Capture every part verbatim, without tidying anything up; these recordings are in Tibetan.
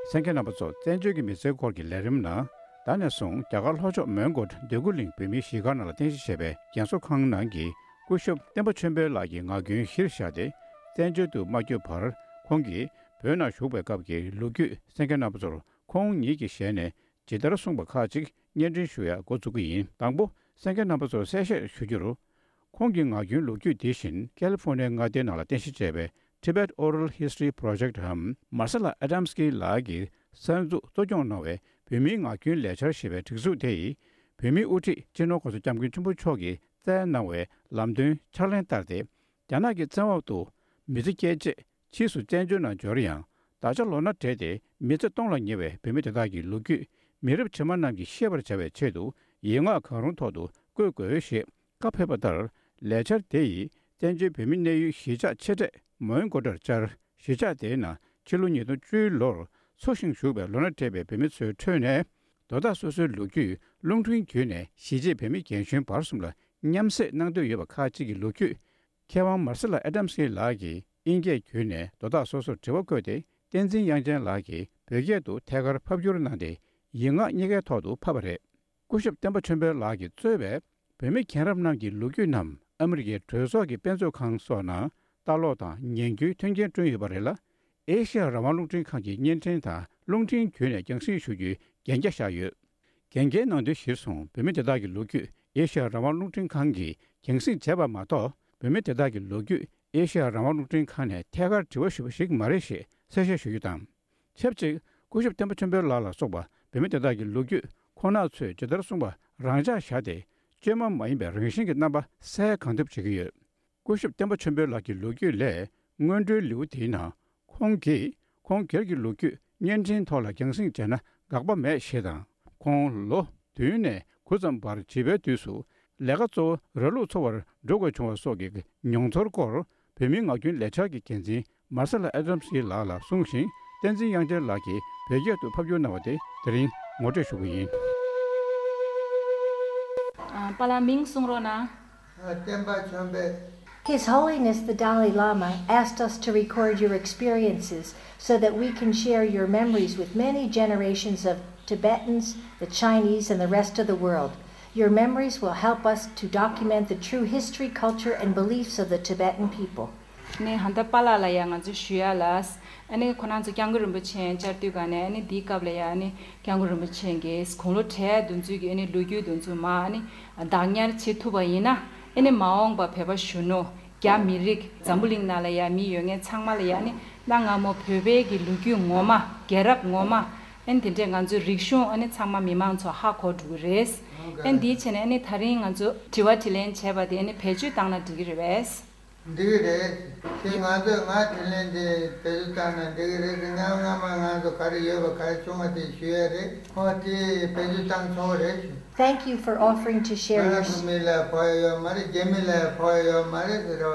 གསན་མཁན་རྣམ་པ་ཚོ། བཙན་བྱོལ་གྱི་མི་ཚེའི་སྐོར་གྱི་ལས་རིམ་ནང་། ད་ནས་བཟུང་རྒྱ་གར་ལྷོ་ཕྱོགས་མོན་གྷོ་འདོད་རྒུ་གླིང་བོད་མིའི་གཞིས་སྒར་ནང་ལ་རྟེན་གཞི་བྱས་པའི་རྒན་གསོ་ཁང་ནང་གི་སྐུ་ཞབས་བསྟན་པ་ཆོས་འཕེལ་ལགས་ཀྱིས་ངག་རྒྱུན་གཞིར་བཞག་སྟེ། བཙན་བྱོལ་དུ་མ་བསྐྱོད་བར་ཁོང་གིས་བོད་ནང་བཞུགས་པའི་སྐབས་ཀྱི་ལོ་རྒྱུས་གསན་མཁན་རྣམ་པ་ཚོར་ཁོང་ཉིད་ཀྱི་ཞལ་ནས་ཇི་ལྟར་གསུངས་པ་ཁག་ཅིག་སྙན་སྒྲོན་ཞུ་ཡ་འགོ་འཛུགས་ཀྱི་ཡིན། དང་པོ། གསན་མཁན་རྣམ་པ་ཚོར་གསལ་བཤད་ཞུ་རྒྱུར། ཁོང་གི་ངག་རྒྱུན་ལོ་རྒྱུས་འདི་བཞིན་ཀ་ལི་ཧྥོ་ནི་ཡའི་མངའ་སྡེའི་ནང་ལ་རྟེན་གཞི་བྱས་པའི་Tibet Oral History Project འམ་Marcella Adamski ལགས་ཀྱིས་གསར་འཛུགས་གཙོ་སྐྱོང་གནང་བའི་བོད་མིའི་ངག་རྒྱུན་ལས་འཆར་ཞེས་པའི་སྒྲིག་འཛུགས་དེ་ཡིས། བོད་མིའི་དབུ་ཁྲིད་སྤྱི་ནོར་༸གོང་ས་༸སྐྱབས་མགོན་ཆེན་པོ་མཆོག་གིས་བསྩལ་གནང་བའི་ལམ་སྟོན་ཕྱག་ལེན་བསྟར་ཏེ། རྒྱ་ནག་གི་བཙན་འོག་ཏུ་མི་ཚེ་སྐྱེལ་ཆེད་ཕྱིས་སུ་བཙན་བྱོལ་ནང་འབྱོར་ཡང་། ད་ཆ་ལོ་ན་བགྲེས་ཏེ་མི་ཚེ་སྟོང་ལ་ཉེ་བའི་བོད་མི་དེ་དག་གི་ལོ་རྒྱུས་མི་རབས་རྗེས་མ་རྣམས་ཀྱིས་ཤེས་པར་བྱ་བའི་ཆེད་དུ། ཡིག་ངག་གང་རུང་ཐོག་ཏུ་བཀོད་དགོས་ཞེས་བཀའ་ཕེབས་པ་ལྟར། ལས་འཆར་དེ་ཡིས་བཙན་བྱོལ་བོད་མིའི་གནས་ཡུལ་གཞིས་ཆགས་ཆེ་གྲས་མོན་གྷོ་ཊར་བཅར། གཞིས་ཆགས་དེའི་ནང་ཕྱི་ལོ་ཉིས་སྟོང་བཅུའི་ལོར་འཚོ་ཞིང་བཞུགས་པའི་ལོ་ན་བགྲེས་པའི་བོད་མི་ཚོའི་ཁྲོད་ནས། དོ་བདག་སོ་སོའི་ལོ་རྒྱུས་རླུང་འཕྲིན་བརྒྱུད་ནས་གཞིས་བྱེས་བོད་མི་རྒན་གཞོན་བར་གསུམ་ལ་མཉམ་བསྲེས་གནང་འདོད་ཡོད་པ་ཁག་ཅིག་གི་ལོ་རྒྱུས། མཁས་དབང་མར་སེ་ལ་ཨེ་ཌམ་སི་ལགས་ཀྱིས་དབྱིན་སྐད་བརྒྱུད་ནས་དོ་བདག་སོ་སོར་དྲི་བ་བཀོད་དེ། བསྟན་འཛིན་དབྱངས་ཅན་ལགས་ཀྱིས་བོད་སྐད་དུ་ཐད་ཀར་ཕབ་བསྒྱུར་གནང་སྟེ། ཡིག་ངག་གཉིས་ཀའི་ཐོག་ཏུ་ཕབ་པ་རེད། སྐུ་ཞབས་བསྟན་པ་ཆོས་འཕེལ་ལགས་ཀྱིས་གཙོས་པའི་བོད་མི་རྒན་རབས་རྣམས་ཀྱི་ལོ་རྒྱུས་རྣམས་ཨ་མི་རི་ཀའི་གྲོས་ཚོགས་ཀྱི་དཔེ་མཛོད་ཁང་སོགས་ནང་ལྟ་ཀློག་དང་ཉན་རྒྱུའི་མཐུན་རྐྱེན་བསྐྲུན་ཡོད་པ་རེད་ལ། ཨེ་ཤེ་ཡ་རང་དབང་རླུང་འཕྲིན་ཁང་གི་བརྙན་འཕྲིན་དང་རླུང་འཕྲིན་བརྒྱུད་ནས་རྒྱང་སྲིང་ཞུ་རྒྱུའི་གན་རྒྱ་བཞག་ཡོད། གན་རྒྱའི་ནང་དོན་གཞིར་བཟུང་བོད་མི་དེ་དག་གི་ལོ་རྒྱུས་ཨེ་ཤེ་ཡ་རང་དབང་རླུང་འཕྲིན་ཁང་གིས་རྒྱང་སྲིང་བྱས་པ་མ་གཏོགས། བོད་མི་དེ་དག་གི་ལོ་རྒྱུས་ཨེ་ཤེ་ཡ་རང་དབང་རླུང་འཕྲིན་ཁང་ནས་ཐད་ཀར་དྲི་བ་ཞུས་པ་ཞིག་མ་རེད་ཞེས་གསལ་བཤད་ཞུ་རྒྱུ་དང་། ཆབས་ཅིག་སྐུ་ཞབས་བསྟན་པ་ཆོས་འཕེལ་ལགས་ལ་སོགས་པ་བོད་མི་དེ་དག་གི་ལོ་རྒྱུས་ཁོང་རྣམ་ཚོས་ཇི་ལྟར་གསུངས་པ་རང་འཇགས་བཞག་སྟེ། བཅོས་མ་མ་ཡིན་པའི་རང་བཞིན་གྱི་རྣམ་པ་གསལ་གང་ཐུབ་བྱེད་ཀྱི་ཡོད། སྐུ་ཞབས་བསྟན་པ་ཆོས་འཕེལ་ལགས་ཀྱི་ལོ་རྒྱུས་ལས། སྔོན་འགྲོའི་ལེའུ་དེའི་ནང་ཁོང་གིས་ཁོང་སྒེར་གྱི་ལོ་རྒྱུས་བརྙན་འཕྲིན་ཐོག་ལ་རྒྱང་སྲིང་བྱས་ན་དགག་པ་མེད་ཞེས་དང་། ཁོང་ལོ་བདུན་ནས་དགུ་ཙམ་བར་བྱིས་པའི་དུས་སུ་ལས་ཀ་གཙོ་བོ་ར་ལུག་འཚོ་བར་འགྲོ་དགོས་བྱུང་བ་སོགས་ཀྱི་མྱོང་ཚོར་སྐོར་བོད་མིའི་ངག་རྒྱུན་ལས་འཆར་གྱི་འགན་འཛིན་མར་སེ་ལ་ཨེ་ཌམ་སི་ལགས་ལ་གསུངས་ཤིང་། བསྟན་འཛིན་དབྱངས་ཅན་ལགས་ཀྱིས་བོད་སྐད་དུ་ཕབ་བསྒྱུར་གནང་བ་དེ་དེ་རིང་ངོ་སྤྲོད་ཞུ་གི་ཡིན། ཨ། པཱ་ལགས་མིང་གསུང་རོགས་གནང་། ཨ། བསྟན་པ་ཆོས་འཕེལ། His Holiness the Dalai Lama asked us to record your experiences so that we can share your memories with many generations of Tibetans, the Chinese, and the rest of the world. Your memories will help us to document the true history, culture, and beliefs of the Tibetan people. ནི་ཧན་ད་པཱ་ལགས་ལ་ཡང་ང་ཚོས་ཞུ་ཡ་ལ། ཨ་ནི་ཁོ་རང་ཚོ་སྐྱབས་མགོན་རིན་པོ་ཆེ་བཅར་དུས་ག་ནས། ཨ་ནི་འདིའི་སྐབས་ལ་ཡ། ཨ་ནི་སྐྱབས་མགོན་རིན་པོ་ཆེ་གིས་དགུང་ལོ་བགྲེས་དུས་ཚོད་ཀྱི་ཨ་ནི་ལོ་རྒྱུས་དུས་ཚོད་མ། ཨ་ནི་བདག་ཉར་བྱེད་ཐུབ་པ་ཡིན་ན། ཨ་ནི་མ་འོངས་པ་བོད་པ་གཞོན་ནུ་རྒྱ་མི་རིགས་འཛམ་བུ་གླིང་ནང་ལ་ཡ་མི་ཡོད་མཁན་ཚང་མ་ལ་ཡ། ཨ་ནི་གནའ་སྔ་མོ་བོད་པའི་གི་ལོ་རྒྱུས་ངོ་མ། རྒྱལ་རབས་ངོ་མ། ཨ་ནི་དེ་འདྲས་ང་ཚོའི་རིག་གཞུང་། ཨ་ནི་ཚང་མ་མི་མང་ཚོ་ཧ་གོ་འགྲོ་གི་རེད། ཨ་ནི་དེའི་ཆེད་ནས་ཨ་ནི་ད་རིང་ང་ཚོ་དྲི་བ་དྲིས་ལན་བྱས་པ་དེ་ཨ་ནི་བེད་སྤྱོད་བཏང་ན་འགྲིག་གི་རེད་པས། འགྲིག་གི་རེད། དེ་ང་ཚོས་ང་དྲིས་ལན་དེ་བེད་སྤྱོད་བཏང་ན་འགྲིག་གི་རེད་དེ། སྔ་སྔ་མ་ང་ཚོ་ག་རེ་ཡོད་པ་ག་རེ་བྱུང་བ་དེ་ཞུ་ཡ་རེད། ཁོ་དེ་བེད་སྤྱོད་བཏང་ཆོག་གི་རེད་ཞུ། Thank you for offering to share your ང་ཚོ་མི་ལ་ཕོག་ཡ་ཡོད་མ་རེད། རྒྱ་མི་ལ་ཕོག་ཡ་ཡོད་མ་རེད་ཟེར་བ།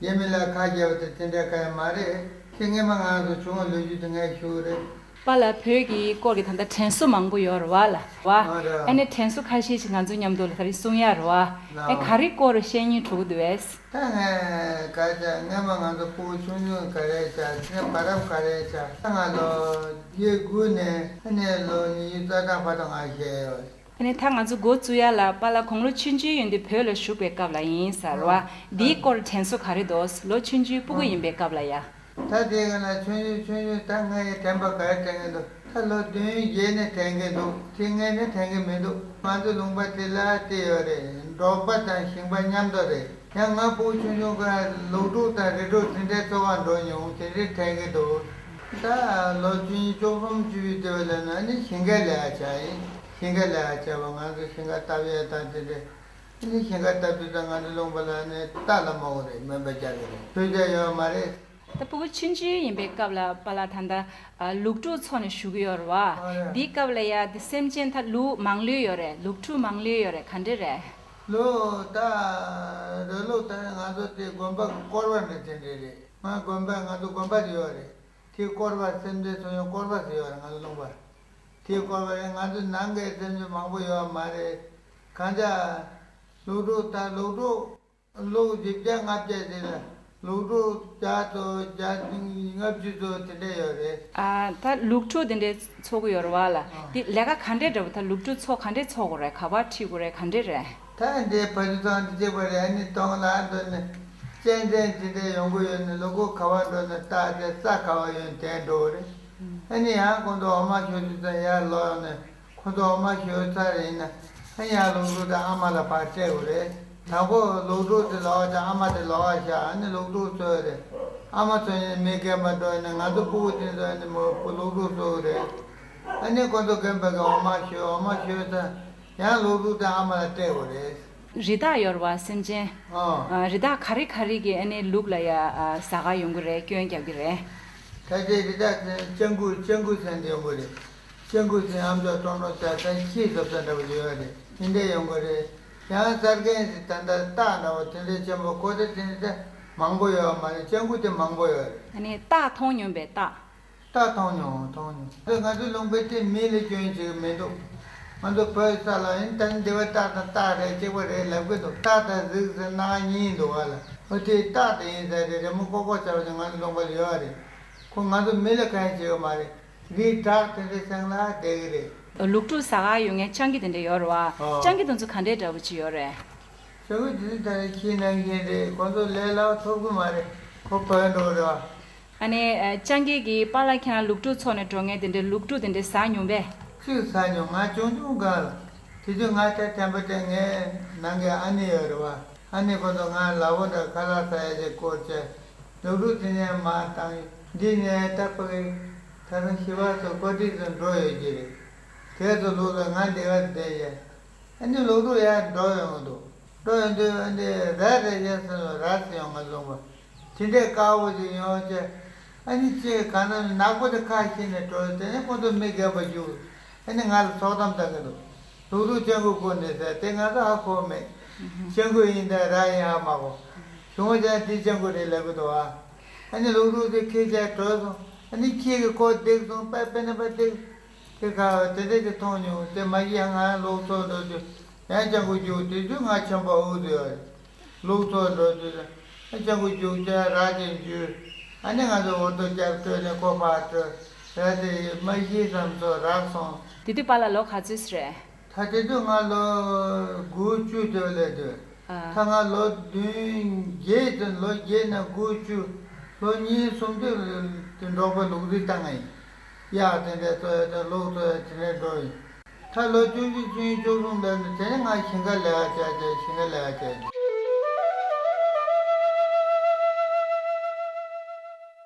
རྒྱ་མི་ལ་ཁ་རྒྱབ་དེ་དེ་འདྲ་ག་ཡ་མ་རེད། དེ་སྔས་མ་ང་ཚོ་བྱུང་བ་ལོ་རྒྱུས་དེ་ངས་ཞུ་གི་རེད། པཱ་ལགས་བོད་ཀྱི་སྐོར་གྱི་ད་ལྟ་དྲན་གསོ་མང་པོ་ཡོད་རེད་པ་ལགས། ཨ་ནི་དྲན་གསོ་ཁ་ཤས་ཤིག་ང་ཚོ་མཉམ་དུ་ལ་ད་རེས་གསུང་ཡ་རེད་པ། ཨེ། ག་རེ་སྐོར་བཤད་སྙིང་བྲོ་གི་འདུག་པས། ད་ངས་ག་ཅག་སྔས་མ་ང་ཚོ་ཕྲུ་གུ་ཆུང་ཆུང་ག་རེ་བྱས། དེ་བར་སྐབས་ག་རེ་བྱས། ད་ང་ལོ་བརྒྱད་དགུ་ནས་ཨ་ནི་ལོ་ཉི་ཤུ་རྩ་གྲངས་བར་དུ་ང་བཤད་ཡོད། ཨ་ནི་ད་ང་ཚོ་འགོ་བཙུགས་ཡ་ལ་པཱ་ལགས་དགུང་ལོ་ཆུང་ཆུང་ཡིན་དུས་བོད་ལ་བཞུགས་པའི་སྐབས་ལ་ཡིན་ཟེར་བ། འདིའི་སྐོར་དྲན་གསོ་ག་རེ་འདུག། ལོ་ཆུང་ཆུང་ཕྲུ་གུ་ཡིན་པའི་སྐབས་ལ་ཡ། ད་དེ་ག་ལ་ཆུང་ཆུང་ཆུང་ཆུང་ད་ངའི་དྲན་པ་ག་རེ་དྲན་གི་འདུག། ད་ལོ་བདུན་བརྒྱད་ནས་དྲན་གི་འདུག། དེ་སྔས་ནས་དྲན་གི་མི་འདུག། ང་ཚོ་ལུང་པ་དེ་ལ་དེ་ཡོད་རེད། འབྲོག་པ་དང་ཞིང་པ་མཉམ་དུ་རེད། ཡང་ང་ཕྲུ་གུ་ཆུང་ཆུང་སྐབས་ལུག་ཕྲུག་དང་རི་ཕྲུག་དེ་འདྲའི་འཚོ་བ་འགྲོ་མྱོང་། དེ་འདྲའི་དྲན་གི་འདུག། ད་ལོ་བཅུ་གཉིས་བཅུ་གསུམ་བཅུ་བཞི་དེ་བས་ལ་ན་ནི་ཞིང་ཁ་ལས་ཀ་བྱས་ཡིན། ཞིང་ཁ་ལས་ཀ་བྱས་པ། ང་ཚོ་ཞིང་ཁ་བཏབ་ཡས་དང་དེ་འདྲའི། ནི་ཞིང་ཁ་བཏབ་དུས་ད་ང་ཚོ་ལུང་པ་ལ་ནི་རྟ་ལ་མོ་གི་རེད། མོན་པ་རྒྱག་གི་རེད། ཕུད་རྒྱག་ཡོད་མ་རེད། ད་ཕྲུ་གུ་ཆུང་ཆུང་ཡིན་པའི་སྐབས་ལ་པཱ་ལགས་ད་ལྟ་ཨ་ལུག་ཕྲུག་འཚོ་ནས་བཞུགས་ཀྱི་ཡོད་རེད་པ། ཨ་རེད། འདིའི་སྐབས་ལ་ཡ་དེ་སེམས་ཅན་ད་ལུག་མང་ལོས་ཡོད་རེད། ལུག་ཕྲུག་མང་ལོས་ཡོད་རེད། ག་འདྲ་རེད། ལུག་ད་ར་ལུག་ད་ང་ཚོ་དེ་དགོན་པ་གི་སྐོར་བ་འདྲ་དེ་འདྲ་རེད། ང་དགོན་པ་ང་ཚོ་དགོན་པ་དེ་ཡོད་རེད། དེའི་སྐོར་བ་སེམས་ཅན་འཚོ་ཡོང་སྐོར་བ་ཟེར་ཡོད་རེད། ང་ཚོ་ལུང་པ་དེའི་སྐོར་བ་རེད། ང་ཚོ་ནང་གི་སེམས་ཅན་མང་པོ་ཡོད་མ་རེད། གང་ཅག་ལུག་ཕྲུག་ད་ལུག་ཕྲུག་ལུག་བཞི་བརྒྱ་ལྔ་བརྒྱ་ཞིག་ལ་ ལུག་ཕྲུག་བརྒྱ་དང་བརྒྱ་ལྔ་བཅུ་ཙམ་དེ་འདྲ་ཡོད་རེད། ཨ། ད་ལུག་ཕྲུག་དེ་འདྲའི་འཚོ་གི་ཡོད་རེད་བ་ལ། ཨ། དེ་ལས་ཀ་ག་འདྲས་འདྲ་བོ། ད་ལུག་ཕྲུག་འཚོ་ག་འདྲས་འཚོ་དགོས་རེད། ག་པར་ཁྲིད་དགོས་རེད། ག་འདྲས་རེད། ད་འདི་ཕ་ཡུལ་ཚང་དེ་གཅིག་པ་རེད། ཨ་ནི་དོང་ལ་འགྲོ་ནས་གཅན་གཟན་དེ་འདྲས་ཡོང་གི་ཡོད་ནས། ལུག་གུ་ག་པར་འགྲོ་ནས་བཏགས་ཏེ་ས་ག་པར་ཡོད་དེ་འགྲོ་གི་རེད། ཨ་ནི་ཡང་ཁོང་ཚོ་འོ་མ་ཞོ་དུས་ཙམ་ཡར་ལོག་ཡོང་ནས། ཁོ་ཚོ་འོ་མ་ཞོ་ཚར་ཡིན་ན། ཨ་ཡང་ལུག་ཕྲུག་དང་ཨ་མ་ལ་ཕར་སྤྲད་དགོས་རེད། དང་པོ་ལུག་ཕྲུག་དེ་ལོག་ཅིག་ཨ་མ་དེ་ལོག་བཞག་ཨ་ནི་ལུག་ཕྲུག་འཚོ་ཡི་རེད། ཨ་མ་འཚོ་ཡིན་ན་མི་རྒན་པ་འགྲོ་ཡིན་ན། ང་ཚོ་སྤུ་གུ་དེ་ཚོ་ཨ་ནི་མོ་ལུག་ཕྲུག་འཚོ་གི་རེད། ཨ་ནི་ཁོ་ཚོ་རྒན་པ་གི་འོ་མ་ཞོ། འོ་མ་ཞོ་ཚར་ཡང་ལུག་ཕྲུག་དང་ཨ་མ་ལ་སྤྲད་དགོས་རེད། རི་དྭགས་ཡོད་རེད་བ། སེམས་ཅན། ཨོ། ཨ། རི་དྭགས་ག་རེ་ག་རེ་གིས་ཨ་ནི་ལུག་ལ་ཡ། ཨ། ཟ་ག་ཡོང་གི་རེད། སྐྱོན་རྒྱག་གི་རེད། ད་ལྟའི་རི་དྭགས་དེ་སྤྱང་ཀི། སྤྱང་ཀི་ཟེར་འདི་ཡོང་གི་རེད། སྤྱང་ཀི་ཟེར་ཨ་མཆོག་ཀྲོང་ཀྲོང་ཟེར་ས་ཁྱི་ཟོབ་ས་འདྲ་པོ་ཡོད་རེད། དེ་འདྲ་ཡོང་གི་རེད། ཡང་གསར་མཁན་ཟེར་ད་ལྟ་སྟག་འདྲ་པོ་དེ་འདྲ་ཆེན་པོ་ཁོ་ཚོ་དེ་འདྲ་མང་པོ་ཡོད་མ་རེད། སྤྱང་ཀི་དེ་མང་པོ་ཡོད་རེད། ཨ་ནི་སྟག་མཐོང་མྱོང་པས། སྟག་སྟག་མཐོང་མྱོང་། མཐོང་མྱོང་། ང་ཚོ་ལུང་པའི་དེ་མི་ལ་སྐྱོན་བྱེད་ཀྱི་མི་འདུག་ང་ཚོ་བོད་ས་ལ་ཡིན་ད་ནི་འདི་བ་སྟག་དང་སྟག་རེད། གཅིག་པ་རེད་ལབ་གི་འདུག་སྟག་དང་གཟིག་ཟེར་སྣ་གཉིས་འདུག་བ་ལ། ཨོ་དེ་སྟག་དེ་ཡིན་ས་རེད། རི་མོ་ཀོ་ཀོ་བྱ་བ་ཅིག་ང་ཚོ་ལུང་པ་ལ་ཡོད་རེད། ཁོ་ང་ཚོ་མི་ལ་གང་ཡང་བྱེད་ཀྱི་མ་རེད། རི་བྲག་དེ་འདྲའི་སྟེང་ལ་བསྡད་ཀྱི་རེད། ལུག་ཕྲུག་ཟ་ག་ཡོང་མཁན་སྤྱང་ཀི་དེ་འདྲ་ཡོད་རེད་བ། ཨོ། སྤྱང་ཀི་དེ་ཚོ་ག་འདྲའི་འདྲ་བོ་ཅིག་ཡོད་རེད། སྤྱང་ཀི་དེ་ཚོ་ད་ཁྱི་ནང་བཞིན་རེད། ཁོ་ཚོ་ལས་སླ་པོ་ཐོབ་ཀྱི་མ་རེད། ཁོ་བོད་འགྲོ་རེད་བ། ཨ་ནི། ཨ། སྤྱང་ཀི་གི་པཱ་ལགས་ཁྱེད་རང་ལུག་ཕྲུག་འཚོ་ནས་འགྲོ་མཁན་དེ་འདྲའི་ལུག་ཕྲུག་དེ་འདྲའི་ཟ་མྱོང་པས། གཅིག་ཟ་མྱོང་། ང་ཆུང་ཆུང་སྒང་ལ། དེ་དུས་ང་ད་དྲན་པ་དྲན། ངའི་ནང་གི་ཨ་ནེ་ཡོད་རེད་བ། ཨ་ནེ་ཁོ་ཚོ་ང་ལ་ཕོ་འདྲ་ཁ་ལག་ཟ་ཡ་ཅིག་སྐོར་བྱས། ལུག་ཕྲུག་དེ་ནས་མར་བཏང་། འདི་ནས་ད་ཕ་གི་ད་རུང་ཞི་བ་ཚོ་ཀོ་ཏི་ཚོ་འགྲོ་ཡོད་ཀྱི་རེད། དེ་ཚོ་ལུག་ལ་ང་འདི་ག་བསྡད་ཡ། ཨ་ནི་ལུག་ཕྲུག་ཡར་འགྲོ་ཡོང་གི་འདུག་འགྲོ་ཡོང་དུས་ཨ་ནི་ར་རེ་རྒྱ་ཟེར་ནོ། ར་ཟེར་ཡོང་ང་ལུང་པ། དེ་འདྲའི་དཀར་པོ་ཅིག་ཡོང་བྱས། ཨ་ནི་ཅིག་གང་ན་ནག་པོ་དེ་ཁ་ཕྱེ་ནས་འགྲོ། དེ་ནས་ཁོ་ཚོ་མི་རྒན་པ་བཞུགས། ཨ་ནི་ང་ལ་ཚོགས་གཏམ་བཏང་གི་འདུག་ལུག་ཕྲུག་སྤྱང་ཀི་བཀོལ་ནས་ཟེར། དེ་ང་ཚོ་ཧ་གོ་མེད། སྤྱང་ཀི་ཡིན་ད་ར་ཡིན་ཧ་མ་གོ། གཞུང་བ་ཅན་དེ་སྤྱང་ཀི་རེད་ལབ་གི་འདུག་ཨ། ཨ་ནི་ལུག་ཕྲུག་དེ་ཁྱེར་བྱས་བྲོས་སོང་། ཨ་ནི་ཁྱི་གིས་ཁོ་བརྡེགས་སོང་། པ་པེ་ན་པ་བརྡེགས། དེ་ག་དེ་འདྲ་ཅིག་མཐོང་མྱོང་། དེ་མ་གཞི་ཡང་ང་ལུག་འཚོ་འགྲོ་དུས་ཡང་སྤྱང་ཀི་རྒྱུག་དེ་དུས་ང་ཆེན་པོ་འུ་ཚོ་ཡོད་རེད། ལུག་འཚོ་འགྲོ་དུས་ཡང་སྤྱང་ཀི་རྒྱུག་བྱས་ར་ཅིག་འཇུས། ཨ་ནི་ང་ཚོ་འུར་རྡོ་རྒྱབ་སྤྲོད་ནས་ཁོ་ཕར་བྲོས། ར་དེ་མ་གཞི་བསམ་སོང་རག་སོང་། དེ་དུས་པཱ་ལགས་ལོ་ག་ཚོད་རེད། ད་དེ་དུས་ང་ལོ་དགུ་བཅུ་དེ་བ་ལས་དུས། ཨ། ད་ང་ལོ་བདུན་བརྒྱད་དུ། ལོ་བརྒྱད་ནས་དགུ་བཅུ། ལོ་གཉིས་གསུམ་དུས་དེ་འབྲོག་པ་ལུག་རྫི་བཏང་ཡིན། གཡག་དེ་འདྲ་འཚོ་ཡ་དང་ལུག་འཚོ་ཡ་དེ་འདྲ་འགྲོ་ཡིན། ད་ལོ་བཅུ་གཅིག་བཅུ་གཉིས་བཅུ་གསུམ་ལོན་དུས་དེ་ནས་ང་ཞིང་ཁ་ལས་ཀ་བྱས་བྱས། ཞིང་ཁ་ལས་ཀ་བྱས།